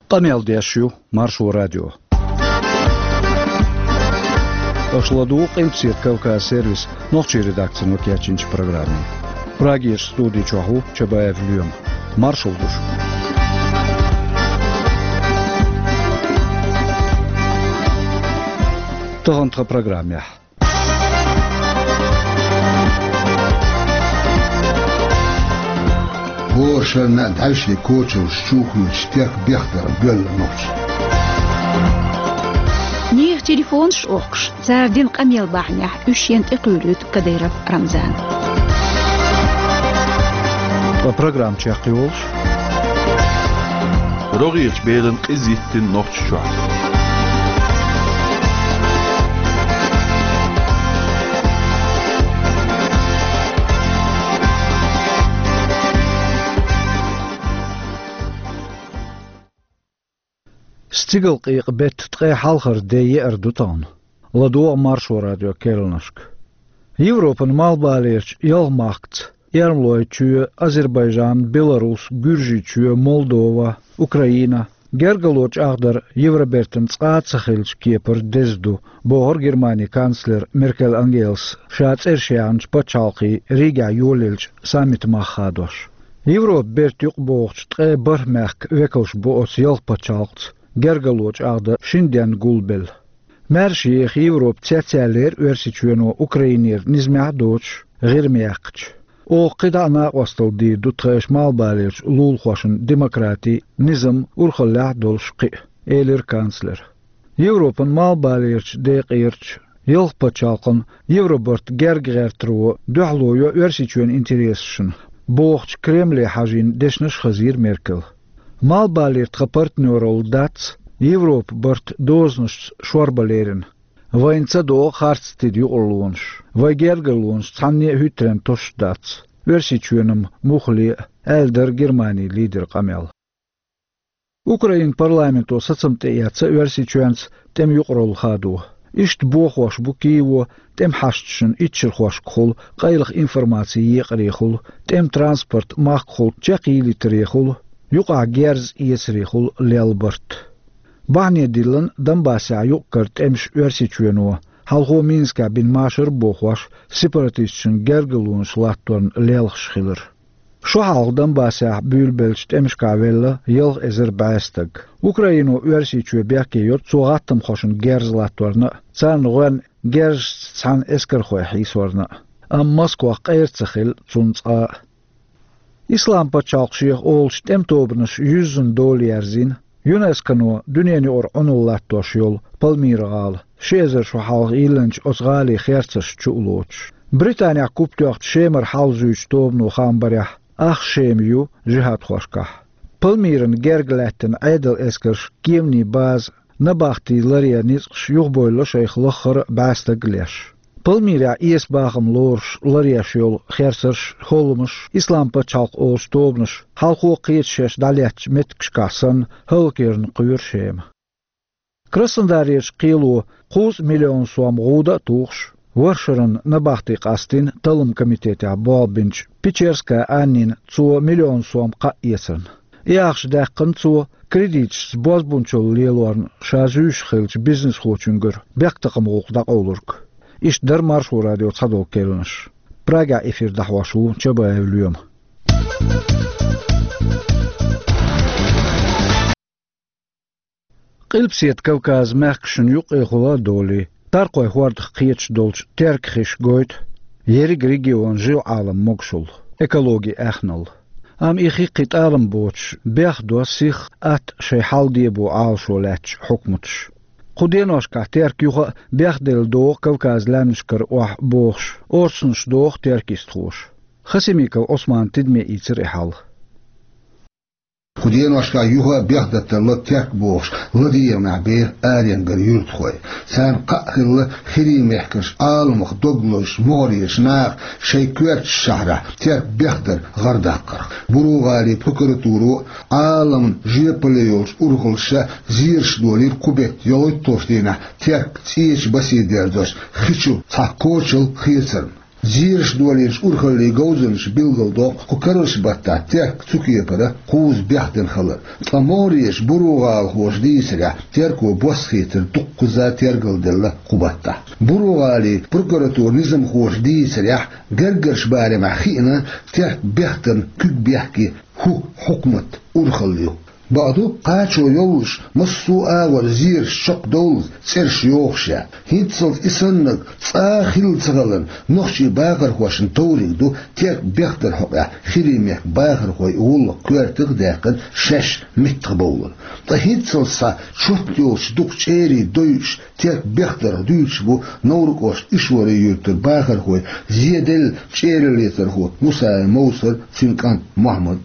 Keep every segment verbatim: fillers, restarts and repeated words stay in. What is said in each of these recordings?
Къамел деш ю Маршо радио. Аша ладугӀу Къилбаседа Кавказ сервисан нохчийн редакцино кечйинчу программе. Прагерчу студи чохь ву Чабаев Лоьма. Маршалла ду шуьга. Тахана тхан программехь. ХӀора шарна а дӀаьвше кочаллаш чу а хуьйцуш, терк бехдарх боьлла нохчий. Нехан телефонаш а охкуш, цара дина къамел бахьанехь уьш шена тӀекхуьйлуьйту Кадыров Рамзана. Ткъа программа чекхйолуш. РогӀерчу белан къиза йиттина Нохчийчохь. Стигалкъекъа беттан ткъе хьалхара де еара ду тахана. ЛадогӀа Маршо радион керланашка. Европан малхбалерчу ялх махкаца, Эрмалойчоь, Азербайджан, Беларус, Гуьржийчоь, Молдова, Украина, гергарло чӀагӀдар Евробертан цкъа а ца хиллачу кепара деза ду, бохура Германин канцлера Меркель Ангелас ша цӀераш яьхначу пачхьалкхийн Ригехь йолаеллачу саммитан мах хадош. Европан берта юкъабогӀучу ткъе бархӀ мехкан векалш бу оцу ялх пачхьалкхаца гергарло чӀагӀдан шина денна гулбелла. Маьрша еха Европа цецъяьллера Оьрсийчоьно Украинера низамехь а доцуш, ГӀирма яьккхича. Оха кхидӀа а накъосталла дийр ду тхешан малхбалерчу лулахошна демократи, низам урхаллехь а долуш кхиа, элира канцлера. Европан малхбалерчу декъерчу ялх пачхьалкхан Евробарт герга гӀертаро дуьхьало йо Оьрсийчоьнан интересашна, бохучу Кремле хьажийна дешнаш а хазийра Меркела. Малхбалера тхан партнералла дац Европан барт дозанашца шорбан лерина. Вайна ца догӀу харц тида юкъарлонаш, вайн гергарлонаш цхьанне а хӀуьттаренна тосуш дац, Оьрсийчоьнан муххале а, аьлла дара Германин лидеран къамел. Украинан парламенто сацам тӀеэцна Оьрсийчоьнца тӀеман юкъаралла хадо. Иштта бохош бу Киево тӀеман хьашташна иччархошкахула, къайлаха информаци екъарехула, тӀеман транспорт махкахула чекхъялийтарехула, юкъахь герз эцарехула лелла барт. Бахьане диллина Донбассехь юкъ-кара тӀемаш Оьрсийчоьно, хьалхо Минскехь бина машар а бохош, сепаратисташна гергарлонаш латторна лелхаш хилар. Шо хьалха Донбассехь буьйлабеллачу тӀемашкахь велла ялх эзар бӀе стаг. Украино Оьрсийчоь бехке йо цо гӀаттамхошна герз латторна а, царна гӀоьнна герзашца цхьаьна эскархой хьийсорна а. Амма Москвах къера ца хилла цунна цкъа а. Ислам пачхьалкх шех олучу тӀеман тобанаш юьззина дола ерзийна, ЮНЕСКОно дуьненан юкъара Ӏуналла латтош йолу Пальмира-гӀала, ши эзар шо хьалха йиллинчу оцу гӀалин херцарш чу а лоцуш. Британехь куп тоьхначу Шемара хьал зуьйчу тобано хаам барехь, ах Шема ю жихӀадхошкахь. Пальмирана герга лаьттина Ӏедалан эскарша кеманийн база Набахти ларъен ницкъаш юхабевлла шайх лаххара а бӀе стаг а леш. Пальмирехь эса бахам лоруш ларъеш йолу херцарш, хӀолламаш, Ислам пачхьалкх олучу тобанаша хьалхо кхечу шаьш дӀалеттачу меттигашкахь санна, хӀаллакъярна кхоьру Шема. Краснодарерчу кхело кхузткъа миллион сом гӀуда а тухуш, ворхӀ шарна набахти къастийна талламан комитетехь болх бинчу Печерская Аннина цо миллион сом кхаъ эцарна. И ахча даьккхина цо, кредиташца бозбунчалла лелорна ша зуьйш хиллачу бизнесхочуьнгара бехктакхаман гӀуллакх дӀакъовлург. Иштта дара Маршо радион цхьадолу керланаш. Прагехь эфир дӀахьош ву Чабаев Лоьма. Къилбаседа Кавказан мехкашна юккъехула а долий, Таркхойн хӀордах кхеташ долчу теркан хиш гойту ерриг регион жив Ӏалам могушалла, экологи аьхналла. Амма и хи кхин тӀалам боцуш, бехдо сих а, атта а шайн хьал дебо Ӏалашо лаьттачу хьукматаша. Кху деношкахь теркан юха а бехделла догӀу Кавказан лаьмнашкара охьа бохуш, орцанаш доху теркйистхоша. Хасимиков Ӏусмана тидаме ийцира и хьал. Кху деношкахь юха а бехдаталла терк бохуш, ладегӀамехь беха аренгара юьртахой. Царна кхаъ хилла, хирийн мехкарш Ӏаламах дог лозуш, могӀарерчу наха шайн коьртачу шахьарахь терк бехдар гӀардаккхарх. Буро-ГӀалин прокуратуро а, Ӏаламна жоьпалле йолчу урхаллаша а зераш долийра кху беттан ялхитталгӀачу дийнахь терк цӀечу басе дерзош хи чу цхьа кочалла хецарна. Зераш долийначу урхаллин говзанчаша билгалдоккху кху карарчу баттахь Терк цу кепара кхузза бехдина хилар. Ткъа могӀарерчу буро-гӀалахоша дийцарехь, Терко бос хетар дуккхазза тергалделла кху баттахь. Буро-гӀалин прокуратуран низамхоша дийцарехь, гергарчу барамехь хиъна Терк бехдарна куьг бехке хӀу хьукмат урхалла ю. Бакъду, кхачо йоллуш, массо а агӀор зераш чекхдовллалц цӀераш йохуш яц. ХӀинццалц и саннарг цкъа а хилла ца хиларна, нохчийн бахархошна товриг ду Терк бехдаран хьокъехь хиримехкан бахархойн гӀуллакх коьртах а даьккхина шаьш меттахбовлар. Ткъа хӀинццалц схьа чот йолчу дукха чӀерийн дойуш Терк бехдарх дуьйцуш бу Новр-кӀоштан Ишварин юьртара бахархой Зеделла чӀераллецархо Мусаев Мовсар, цуьнан кӀант Мохьмад.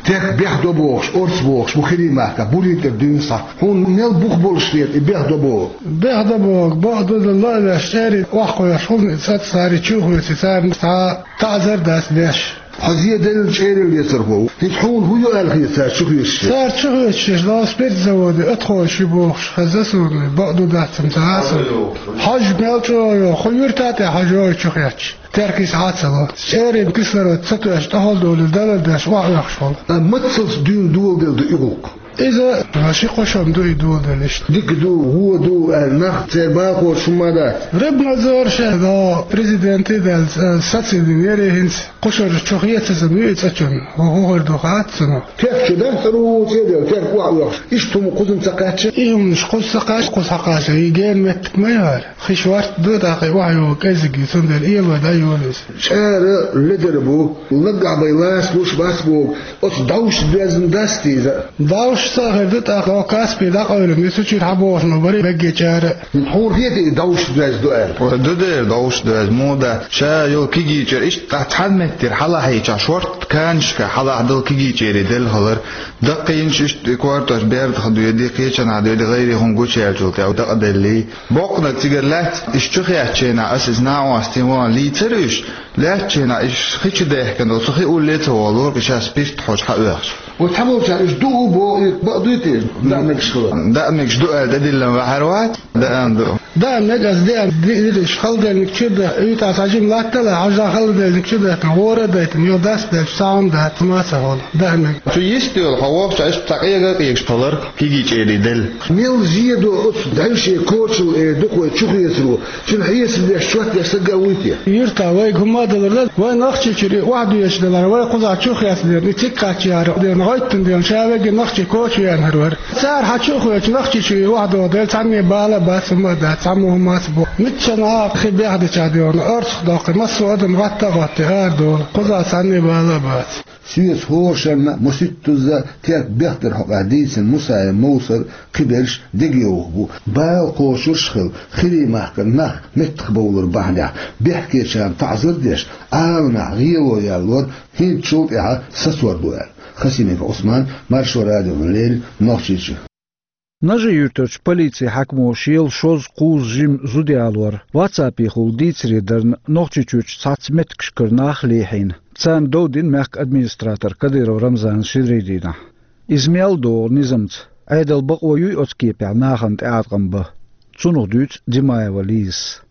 Терк бехдо бохуш, орца бохуш бу хиримехкахь, Бурин тӀера дуьйна схьа. Хьуна мел бух болуш хета и бехдо бохург? Бехдо бохург, бакъду, дан ло а веш, чӀерий охьакхоьхьуш хӀунда и цаца цара чу а хоьций, царна цхьа а таӀзар а дац деш. Хьо Зеделла чӀераллецархо ву. ХӀинца хьуна хӀун ю аьлла хета цара чу хецачу? Цара чу хецачу, Новспиртзаводе атхойш ю бохуш хезна суна, бакъду, дац-м ца хаа суна. Хьожа мел чӀогӀа йогӀу, кху юьрта тӀехь хьожа йогӀу чу хецча. Теркис хьа а ца ло. ЧӀерийн кислород ца тоьуш, тӀехула долу далар деш, охьаоьхуш волу. Амма мацалц дуьйна доладелла ду и гӀуллакх? Иза ши-кхо шо-м ду и доладелла иштта. Дика ду, вон ду аьлла, нах церан балхочуш хӀумма а дац. Рыбнадзор шен, но президент а даьлла, сацийна яра хӀинца. Кху шарахь чу хецаза ма ю и цӀа чунна. ХӀун хир ду хаьттина. Терк чу дац, цӀа руцӀе а делла, Терк охьаоьхуш. Иштта хӀума кхуза ца кхаьчна? И хӀуманаш кхуза ца кхаьчна, кхуза хьакхаччалц и гена меттиг ма ю хӀара. Хи шортта ду, тӀаккха и охьайогӀу кӀеззиг ю, цундела эло дан йолу иза. ЧӀара ледара бу, наггахь бен лаца луш бац боху, оцу довшашца доьзна дац те иза? Довшашца а хир ду, тӀаккха оха Каспий дӀакъевлина, и цу чуьра хьан бохуш ма бара берриге чӀара. Хьуна хетий и довшашца доьзна ду аьлла? Ой, ду дера довшашца доьзна, муха дац. Ша йолу кегий чӀер иштта цхьана меттера хьалахьийчахь, шортта канашка хьалахь долу кегий чӀерий делла хилар. Даккхийнаш иштта и кортош бердах доьду, кхечанхьа доьду, гӀайре хӀума гучуяьллачул тӀаьхьа дакъаделлий. Боккъаниг цигара лаьцна, иштта чу хецчу хенахь, аса иза накъостий ван лийцара уьш, лаьцначу хенахь иштта хи чу даьхкина долу, цу хи улле а ца волура, ша спирт хьожа хьаоьхуш. Вай цхьаболчара уьш ду а боху, и бакъ дуй те, даа мегаш хилар? Даа мегаш ду аьлла, тӀедиллина ваьхьар вац, даа а ду. Даа мега аса деана, ди-, дириш, халдерниг чуьра даьхкина, уьйтӀахь цхьа жима латталахь, хьажа халдерниг чуьра даьхкина, гӀора а дайтина, юха даст делча, цхьа хӀума дац, ма ца хьуна, даа мега. Цу йист йолу хьо вохча, иштта цхьа къега а къегаш хилар, кегий чӀерий делла. Мел зен до оцу дайшен кочал э дукхой чу хецаро, цуьнан хьесап деш, чот деш стаг а вуй те? Юьртахь вайга хӀумма а далур дац, вай Нохчийчуьра и охьадоьдуш далахь, вай кхузахь чу хецна дерг, и цига кхаччахьара дерг, гӀоьттина дерг, ша вега Нохчийчу коча веанхьар вара. Цара хьан чу а хоьцуш, Нохчийчуьра и охьадогӀу дела, цхьанне бала бац, хӀумма а дац, цхьаммо хӀумма а ца боху. Миччанхьа а хи бехдичахь дерг, орцах доккхий, массо а адам гӀатта а гӀоттий, арадолу, кхузахь цхьанне бала а бац. Соьца хӀора шарна а, масийттазза а Терк бехдаран хьокъехь дийцина Мусаев Мовсар, кхиберш дегайовхо бу. Бала кхочурш а хилла, хиримехкан нах меттахбовлар бахьанехь, бехкечарна таӀзар а деш, Ӏаламехь гӀело яьллора, хӀинцачул тӀаьхьа сацор ду аьлла. Хасимиков Ӏусман, Маршо радиона леррина, Нохчийчуьра. Нажи-Юьртарчу полицин хьаькамо шел шозза-кхузза жима зуда ялор, ватсапехула дийцаре дарна, Нохчийчуьрчу цхьацца меттигашкара нах а лехьийна, царна дов дина мехкан администратора Кадыров Рамзана шинарийн дийнахь. Иза мел догӀу низамца, Ӏедалан бакъо юй оцу кепехь нахана тӀеӀаткъам бан? Цунах дуьйцу Димаева Лизас.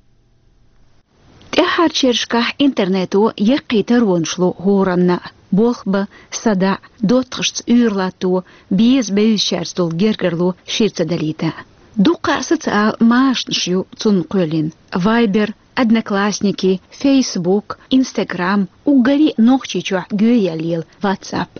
ТӀаьххьарчу шерашкахь интернето яккхий таронаш ло хӀоранна а. Болх бан, садаӀа, доттагӀашца уьйр латто, беза-бевзачаьрца долу гергарло шира ца далийта. Дуккха а социал машанаш ю цунна кхоьллина: Viber, Одноклассники, Facebook, Instagram, уггаре а Нохчийчохь гоьяьлла лела WhatsApp.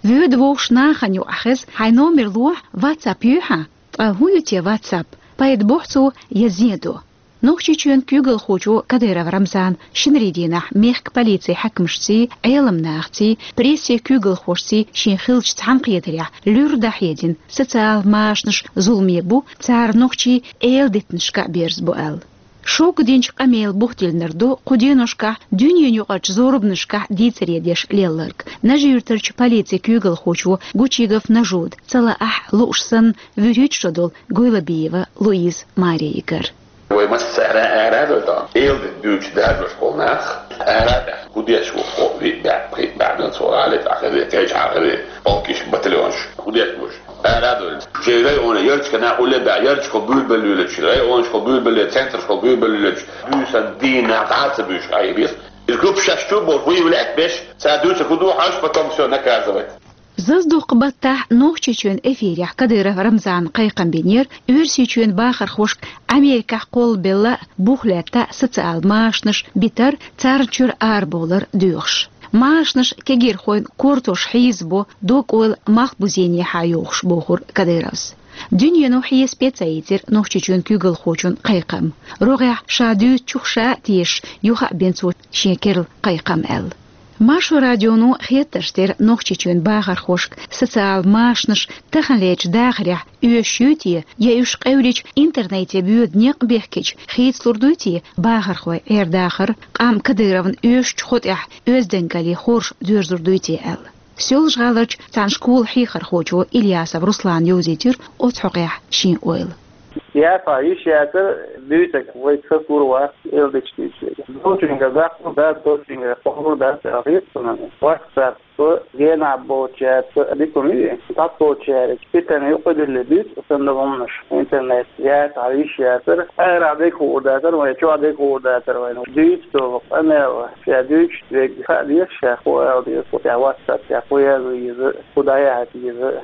Воьду вовшах нахана юкъахь хеза: хьайн номер лохьа, WhatsApp юй хьан? Ткъа хӀун ю те WhatsApp? Пайда бохьу цо я зен до? Нохчийчоьнан куьйгалхочо Кадыров Рамзана шинарийн дийнахь мехкан полицин хьаькамашций, Ӏеламнахаций, прессин куьйгалхошций шен хиллачу цхьаьнакхетарехь луьра дӀахьедина, социал машанаш зуламе бу, цара нохчий эладитанашка а берзабо аьлла. Шога динчу къамелан бух диллинарг ду кху деношкахь дуьненаюкъарчу зорбанашкахь дийцаре деш лелларг. Нажи-Юьртарчу полицин куьйгалхочо Гучигов Нажуда ца лаахь а, лууш санна, вуьрхӀитта шо долу Гойлабиева Луиза маре йигар. Вай массара ара а дойла, эладита дуьйцуш даржош болу нах, ара а даьхна, хӀун деш ву, хӀо, виъ баьӀ, пхиъ баьӀ дан цо гӀале тӀе хезий, кхечахьа хезий, полкиш, батальонаш, хӀун деш ву уьш? Ара а дойла. Шайн районан ярташкахь нах улле а баьӀ, ярташкахула буьйрабелла лелачу, районашкахула буьйрабелла, центрашкахула буьйрабелла лелачу, буьйсанна дийнахь дӀа а ца буьйшуш, Ӏа и бес. Из группа шаьш чу а болуш, выявлять а беш, цара дуьйцург хӀун ду хьожуш, потом всё наказывать. Заздоккху баттахь Нохчийчоьнан эфирехь Кадыров Рамзана кхайкхам бинера Оьрсийчоьнан бахархошка Америкехь кхоллабелла а, бух лаьтта а социал машанаш битар, царна чуьра арабовлар доьхуш. Машанаш кегийрхойн кортош хьийзабо, дог-ойла малхбузенехьа йохуш, бохура Кадыровс. Дуьнено хьесапе ца ийцира Нохчийчоьнан куьйгалхочун кхайкхам. РогӀехь ша дуьйцучух ша а тешаш, юха а бина цо шен керла кхайкхам аьлла. Маршо радионо хеттарш дира Нохчийчоьнан бахархошка социал машанаш таханлерчу дахарехь оьшуш юй те, я уьш къевлича интернете боьду некъ бехкича хийцалур дуй те бахархойн Ӏер-дахар, къам Кадыровна оьшучу хотӀехь оьздангаллин хорша доьрзур дуй те аьлла. Соьлжа-ГӀаларчу цхьана школан хьехархочо Ильясов Руслана йовзийтира оцу хьокъехь шен ойла. Яха йиш яцара дуьйцург, вай ца гур вац, эл дечу дуьйцург. Долчуьнгара даккхур дац, долчуьнгара кхоллур дац аьлла хета суна. WhatsApp, генахь болчаьрца дика ма ю, цхьаболчаьрца питана юкъадилла дуьйцу санна хӀуманаш интернет. Яха йиш яцара, арахь дерг хуур дацара вайн, чохь дерг хуур дацара вайн. Дуьйцу долу къамел, ша дуьйцуш дерг хаа деза, ша хӀун ала деза, хӀун тӀехь WhatsApp тӀехь хӀун яла веза, хӀун дӀаяхьа деза.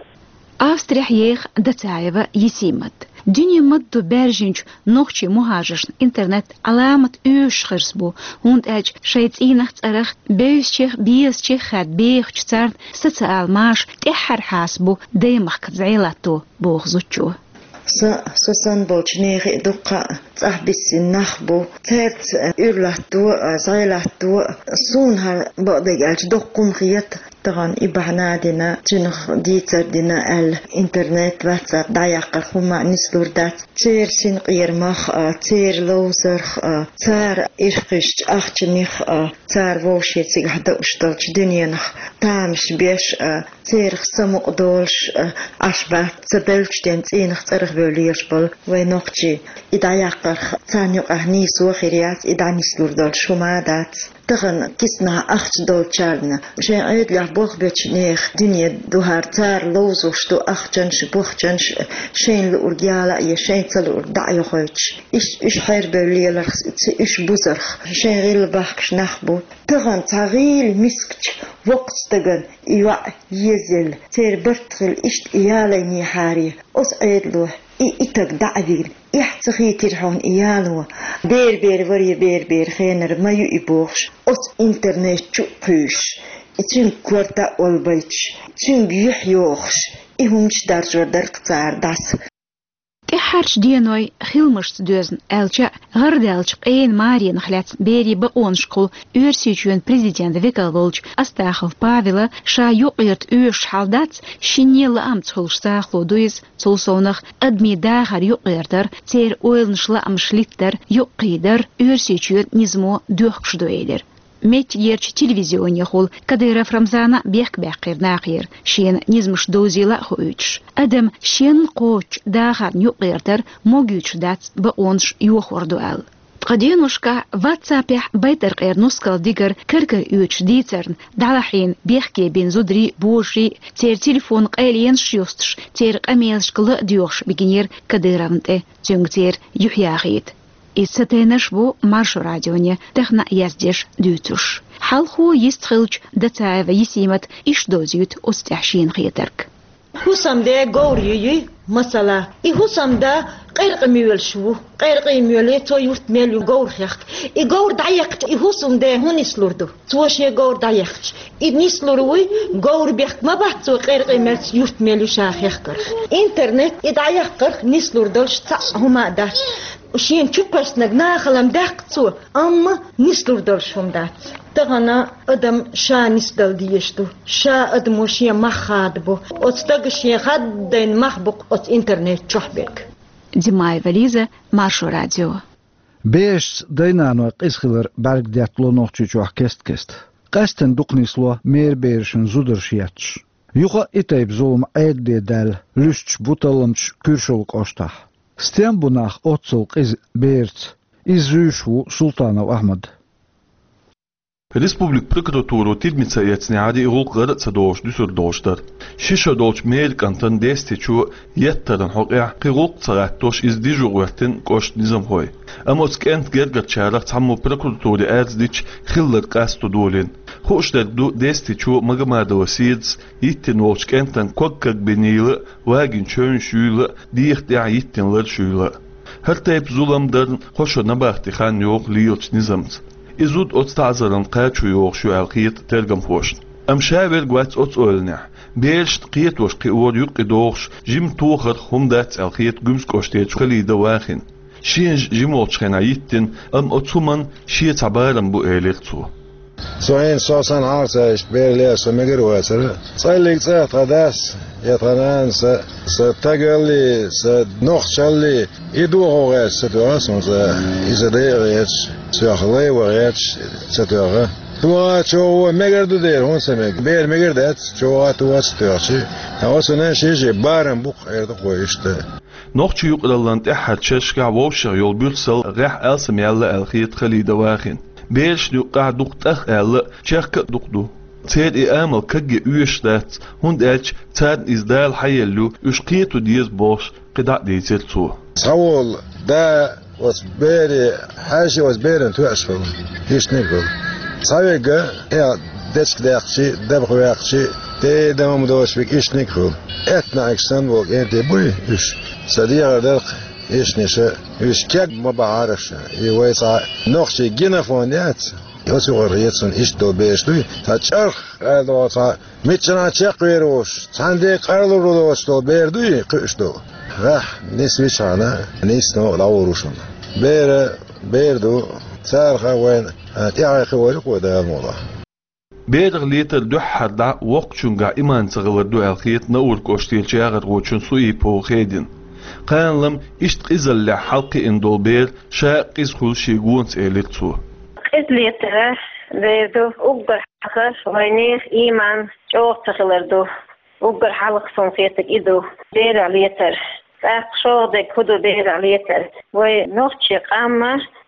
Австрехь еха Дацаева Есимат. Дуьне ма-дду баьржинчу нохчийн мухӀажаршна интернет Ӏаламат оьшуш хирс бу, хӀунда аьлча шайн цӀийнах, цӀарах, бевзачех, безачех хаьдда бехачу царна социал маша тӀаьххьара хьаса бу даймахкаца зӀе латто, боху зудчо. Сан, со санна болчу нехан дуккха а цӀахь биссина нах бу. Цаьрца уьйр латто а, зӀе латто а, суна хӀара бакъдерг аьлча доккха хӀума хета. Тахана и бахьана а дина, цуьнах дийцар дина аьлла, интернет, WhatsApp дӀаяккхарх хӀума а нислур дац. Церан синкъерамах а, церан ловзарх а, цара ирхкхуьссучу ахчанех а, цара вовшийн цигахь дууш долчу дуьненах тамаш беш а, церах самукъадолуш а, Ӏаш бац ца бевллачу ден цӀийнах, цӀарах бевлла лелаш болу вайн нохчий. И дӀаяккхарх царна юкъахь нийсо а хир яц, и дӀанислур долуш хӀума а дац. Тахана киснахь ахча долчарна, шайн Ӏедалехь болх бечу нехан дуьне ду хӀара, цара ловзош ду ахчанаш а, бохчанаш а, шайна луург яла а еш, шайна ца луург дӀа а йохуьйтуш. Иштта уьш хьербевлла леларх, ца уьш бузарх шайн гӀилла бахкаш нах бу. Тахана цхьа гӀийла мискачу воккхачу стагана и йоӀ езаелла, церан барт хилла иштта и ялайнехьара, оцу Ӏедало и, и таг дӀа а вигна, эхь ца хийтира хьуна и яло, бер-бер варе, бер-бер хенара ма ю и бохуш, оцу интернет чу а кхуьйсуш, и цуьнга корта а олбайтуш, цуьнга юьхь йохуш, и хӀуманаш даржор дара-кх цара дӀаса. ТӀаьххьарчу денойн хиламашца доьзна аьлча а, гӀардаьллачу къена маренах лаьцна берийн бакъонашкахула Оьрсийчоьнан президентан векал волчу Астахов Павела ша юкъагӀерта оьшуш хьал дац, шинне лаамца хуьлуш сахало ду иза, цул совнах адамийн дахар юкъагӀертар, церан ойланаш, лаамаш литтар, юкъакхийдар Оьрсийчоьнан низамо доьхкуш ду элира. Меттигерчу телевизионехула Кадыров Рамзана бехк баьккхира нахера, шена низамаш довзийла а хууьйтуш. Адам шен кхоччу дахарна юкъагӀертар могуьйтуш дац, бакъонаш йохор ду аьлла. Ткъа деношкахь WhatsApp-ехь байтаркъера нускал дигар кар-кара оьцуш дийцарна, дӀалахьийна бехке бина зударий а, божарий а, церан телефонан къайленаш а йостуш, церан къамелашка ла а доьхуш бигинера Кадыровна тӀе, цуьнга церан юьхь яхийта. Иза ца тайнарш бу Маршо радионе тахана а яздеш, дуьйцуш. Хьалхо йистхиллачу Дацаева Есимата иштта довзуьйту оцу тӀехь шена хетарг. ХӀусамде говр юй, масала, и хӀусамда къайркъа моьлуш ву. Къайркъа моьле, цо юрт мел ю говр хехка. И говр дӀаехкча, и хӀусамде хӀун нислур ду? Цо шен говр дӀаехкча, и нислур вуй, говр бехк ма бац цо къайркъа мелча юрт мел ю ша хехкарх. Интернет и дӀаяккхарх нислур долуш цхьаъ хӀума а дац. Шена чу кхоьссинарг нахала даьккха цо, амма нислур долуш хӀума дац. Тахана адам ша нисдала дезаш ду, ша адамо шен мах хадабо. Оцу стага шен хаддайна мах бу-кх оцу интернет чохь берг. Димаева Лиза, Маршо радио. Берашца дай-наной къиза хилар бӀаьрг деттало Нохчийчохь кест-кеста. Къаьсттина дукха нисло мера берашна зударш етташ. Юха а и тайпа зулам Ӏедале даьлла луьстуш бу талламчаш Куьршалла кӀоштахь. Стен бу нах оццул къиза бераца? Иза зуьйш ву Султанов Ахьмад. Республикан прокуратуро тидамца эцнехьара и гӀуллакх гӀара а ца дохуш дуьсур долуш дара. Ши шо долчу мера кӀантана Дестичо еттаран хьокъехь кхин гӀуллакх ца гӀаттош иза дижо гӀоьртина кӀоштан низамхой. Амма оцу кӀентан гергарчарах цхьаммо прокуратуре арз дича хилларг къасто долийна. Хууш дерг ду, Дестичо Магомадова Седас йиттина волчу кӀентан ког-ког бинийла а, вагийна чевнаш юйла а, дегӀан тӀехь йиттина ларш юйла а. ХӀара тайпа зулам дарна кхо шо набахти хан йогӀу лелачу низамца. И зуда оцу таӀзаран кхачо йогӀуш ю аьлла хета тергамхошна. Амма ша верг вац оцу ойланехь. Берашна кхетош кхиор юккъе догӀуш жима тохарх хӀума дац аьлла хета Гуьмсан кӀоштарчу Халида Вахина. Шена жима волчу хенахь йиттина, амма оцу хӀуманна шен цхьа барам бу, элира цо. Со хӀинца со санна хьалха ца иштта бер лер со мегар а вацара. ЦӀаллиг цӀа тхан дас, я тхан нанас, сан стагаллий, сан нохчаллий, и дохо гӀерташ ца тоьхна суна цӀа, и сан дайа гӀерташ, соьх лай ван гӀерташ ца тоьхна. ТӀаккха чӀогӀа мегар ду дера, хӀунда ца мега? Бер мегар дац, чӀогӀа тоьхна ца тоьхча. Ткъа оцунна шен-шен барам бу-кх, эр ду-кх вай иштта. Нохчийн юкъараллин тӀаьххьарчу шерашкахь вовшех йолу буьрсалла гӀехь алсамъяьлла аьлла хета Халида Вахина. Берашна юккъехь дукха тӀах аьлла а, чехка а дукха ду. Церан и амал кагъе оьшуш дац, хӀунда аьлча царна иза Дала хьаелла ю, уьш кхето деза бохуш, кхидӀа а дийцира цо. Цхьаволу да оцу бере хьаьжча, оцу берана тоьаш хуьлу, иштаниг хуьлу. Цхьаверг, э, дечиг даьккхича, дабах ваьккхича, тӀе а дан хӀума доцуш верг иштаниг хуьлу. Аьтту наӀарш санна волу кӀентий буй уьш? Сан дегӀара дара-кх иштаниша, уьш кег ма бахьара аша. И вай цхьа нохчийн генофонд яц. Оцу юкъара хета суна иштта долу бераш дуй, цхьа чӀарх, аьлла, цхьа миччанхьа чекхвер волуш, цхьаьннан дегӀ къарлур доцуш долу бер дуй кхуьуш долу? Ваьхьа, нисвичхьана, нийсса новкъа дӀагӀур ву шуна. Бер, бер ду, царах а вайна тӀаьхье кхиор ю-кх вай, Дала мукъалахь. Берах летар дуьххьара дӀа воккхачуьнгахь иман ца хилар ду аьлла хета Науран кӀоштарчу яхархочун Суипова Хедина. Кхана-лама иштта къизаллехь хьалакхиъна долу бер ша а къиза хуьлу шен гонца, элира цо. Къиза летар бер ду, уггар хьалха вайнехан иман чӀогӀа ца хилар ду. Уггар хьалха суна хетарг и ду, берах летар. ТӀаккха шолгӀа дерг хӀун ду берах летар? Вай нохчийн къам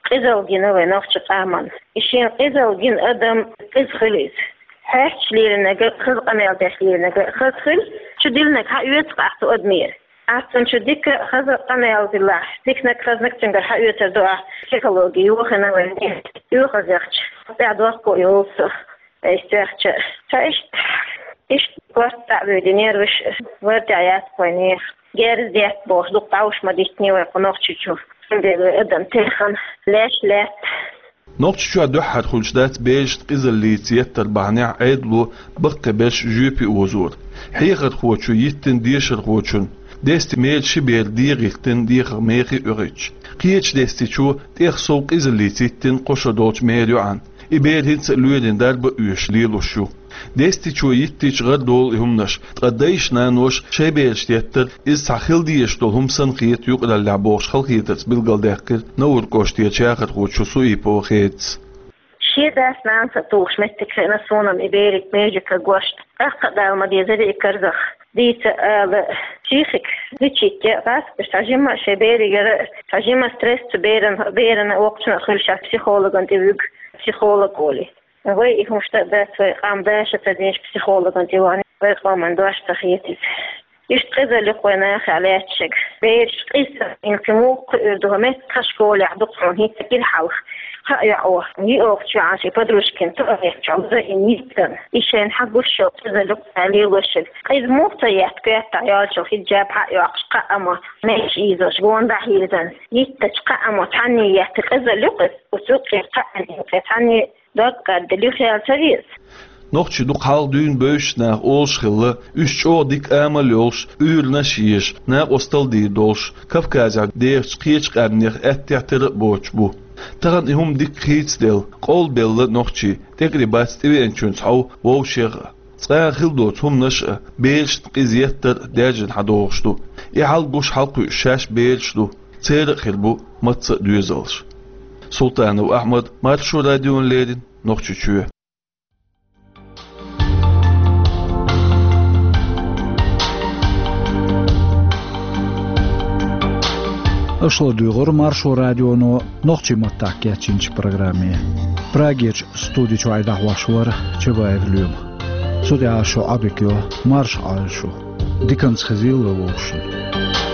къизалла гина вай нохчийн къаман. И шена къизалла гина адам къиза хуьлу иза. Хьаьжча лелийнарг а, хаза къамел деш лелийнарг а хаза хуьлу, чудиллинарг хьаоьцу-кх ахь цу адамера. Ахь цунна чу дика а, хаза а къамел диллахь, диканиг, хазаниг цуьнгара хьаоьцур ду ахь, психологи йохийна вайна. ОьгӀазлехча, тӀехь дохко йолу со. Айса тӀехча, ца иштта, иштта корта дӀа а вуьйдина, нерваш варда яц вайнехан. Герз детта бохуш, дукха дӀовш ма диттиний вай кху Нохчийчу. Цундела вай адам техна леш лаьтта. Нохчийчохь дуьххьара хуьлуш дац берашна къизаллица еттар бахьанехь Ӏедало баккхий берш жоьпе озор. Хьехархочо йиттина дешархочун, Дести мера ши бер дегӀа йиттина дехар мехий оьхуьйтуш. Кхечу Дестичо тӀех сов къизаллица йиттина кхо шо долчу мера йоӀана. И бер хӀинца а лоьрийн дарба а оьшуш лелош ю. Дестичо йиттича гӀардолу и хӀуманаш, ткъа дайша-наноша шайн берашна еттар, иза цхьа хила дезаш долу хӀума санна хета юкъараллехь бохуш халахетарца билгалдаьккхира Науран кӀоштарчу яхархочо Суипова Хедас. Шен дас-нанас а тухуш меттиг хиъна суна-м и берийн межиг кагош. ТӀаккха а Дала ма дезара и карзах. Дийца ала, психика лечить ян гӀаскаш цхьа жимма а шайн беригара, цхьа жимма стресс цу беран, берана воккхачунна а хуьлуш, психологана тӀе вуьгу, психолог волий. Вай и хӀумаш дан а дац, вай къам даша ца динчу психологана тӀе вахана, вай къоман дош ца хетийта. Иштта къизалла ю-кх вай нахехь лаьтташ. Бераш къиза санна кхин муха кхуьур ду, хӀара меттахь школехь ду-кх хьуна хӀинца кӀира хьалха. Кхаа йоӀа, йиъогӀучу йоӀана шен подружкина туалет чохь лазийна йиттина. И шайна хьан гуш йолу къизалла ю-кх цара лелош. Къиза муха ца етта, коьртахь йолчу хиджаб хьа а йоккхуш, кхаамма меш ийзош, гонах дӀахьийзина. Йиттачу кхаамма цхьанне етта къизалла ю-кх иза, оцу юккъе кхаанна юккъе цхьанне дог кхаьдда, юхаялла ца веза. Нохчий дукха хьалха дуьйна бевзачу наха олуш хилла, уьш чӀогӀа дика амал йолуш, уьйранаш а езаш, накъосталла дийр долуш, Кавказехь дехачу кхечу къаьмнех аьттехьа тера а боцуш бу. Тахана и хӀума дика хийцаделла, къовлабелла нохчий, тӀекӀаре бац тӀевеанчуьнца хьов вовшех а. Цкъа а хила доцу хӀуманаш а, берашна къиза еттар а даьржина хьадогӀуш ду. И хьал гуш хьалакхуьуш шаьш бераш ду, церан а хир бу мацца а доьзалш. Султанов Ахьмад, Маршо радиона леррина, Нохчийчоь. Аша ладугӀура Маршо радионо нохчийн маттахь кечйинчу программе. Прагерчу студи чохь дӀахьош вара Чабаев Лоьма. Цу тӀехь шу Ӏадика йо марша Ӏойла шу. Диканца хезийла вовшашна.